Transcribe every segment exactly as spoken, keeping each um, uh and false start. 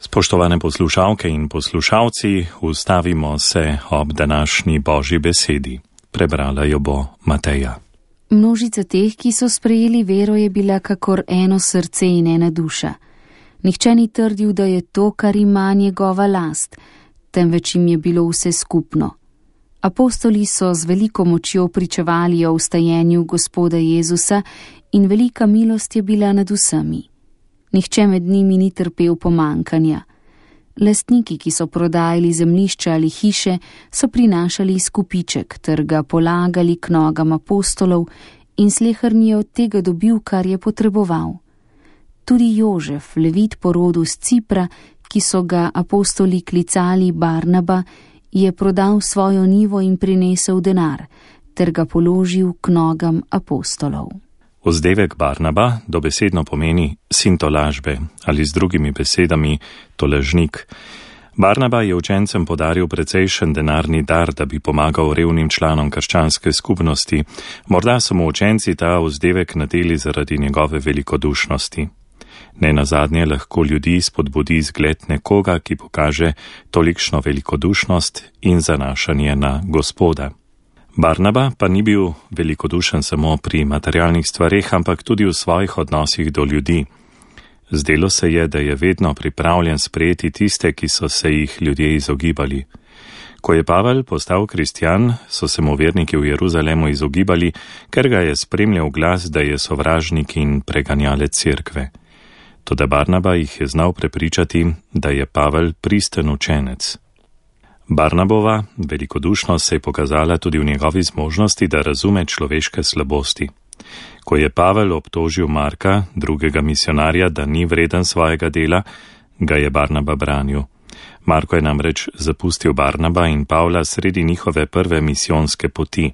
Spoštovane poslušalke in poslušalci, ustavimo se ob današnji Božji besedi. Prebrala jo bo Mateja. Množica teh, ki so sprejeli vero, je bila kakor eno srce in ena duša. Nihče ni trdil, da je to, kar ima njegova last, temveč jim je bilo vse skupno. Apostoli so z veliko močjo pričevali o vstajenju Gospoda Jezusa in velika milost je bila nad vsemi. Nihče med njimi ni trpel pomankanja. Lastniki, ki so prodajali zemljišča ali hiše, so prinašali izkupiček ter ga polagali k nogam apostolov in sleherni je od tega dobil, kar je potreboval. Tudi Jožef, levit po rodu z Cipra, ki so ga apostoli klicali Barnaba, je prodal svojo njivo in prinesel denar, ter ga položil k nogam apostolov. Vzdevek Barnaba dobesedno pomeni sin tolažbe ali z drugimi besedami tolažnik. Barnaba je učencem podaril precejšen denarni dar, da bi pomagal revnim članom krščanske skupnosti. Morda so mu učenci ta vzdevek nadeli zaradi njegove velikodušnosti. Nenazadnje lahko ljudi spodbudi zgled nekoga, ki pokaže tolikšno velikodušnost in zanašanje na Gospoda. Barnaba pa ni bil velikodušen samo pri materialnih stvareh, ampak tudi v svojih odnosih do ljudi. Zdelo se je, da je vedno pripravljen sprejeti tiste, ki so se jih ljudje izogibali. Ko je Pavel postal kristjan, so se mu verniki v Jeruzalemu izogibali, ker ga je spremljal glas, da je sovražnik in preganjalec cerkve. Toda Barnaba jih je znal prepričati, da je Pavel pristen učenec. Barnabova velikodušnost se je pokazala tudi v njegovi zmožnosti, da razume človeške slabosti. Ko je Pavel obtožil Marka, drugega misionarja, da ni vreden svojega dela, ga je Barnaba branil. Marko je namreč zapustil Barnaba in Pavla sredi njihove prve misijonske poti.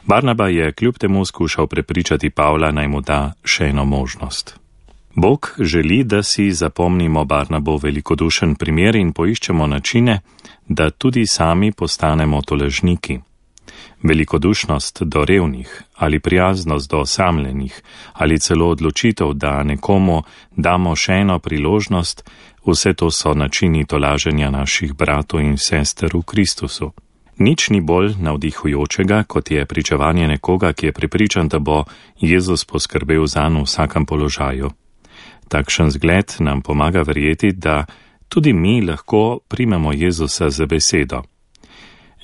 Barnaba je kljub temu skušal prepričati Pavla, naj mu da še eno možnost. Bog želi, da si zapomnimo Barnabov velikodušen primer in poiščemo načine, da tudi sami postanemo tolažniki. Velikodušnost do revnih ali prijaznost do osamljenih ali celo odločitev, da nekomu damo še eno priložnost, vse to so načini tolaženja naših bratov in sester v Kristusu. Nič ni bolj navdihujočega, kot je pričevanje nekoga, ki je prepričan, da bo Jezus poskrbel zanj v vsakem položaju. Takšen zgled nam pomaga verjeti, da tudi mi lahko primemo Jezusa za besedo.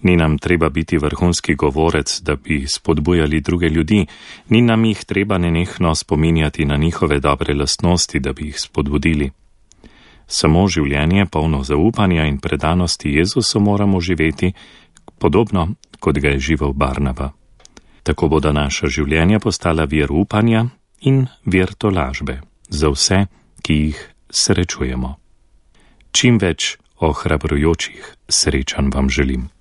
Ni nam treba biti vrhunski govorec, da bi spodbujali druge ljudi, ni nam jih treba nenehno spominjati na njihove dobre lastnosti, da bi jih spodbudili. Samo življenje polno zaupanja in predanosti Jezusu moramo živeti, podobno kot ga je živel Barnaba. Tako bodo naša življenja postala vir upanja in vir tolažbe za vse, ki jih srečujemo. Čim več ohrabrujočih srečanj vam želim.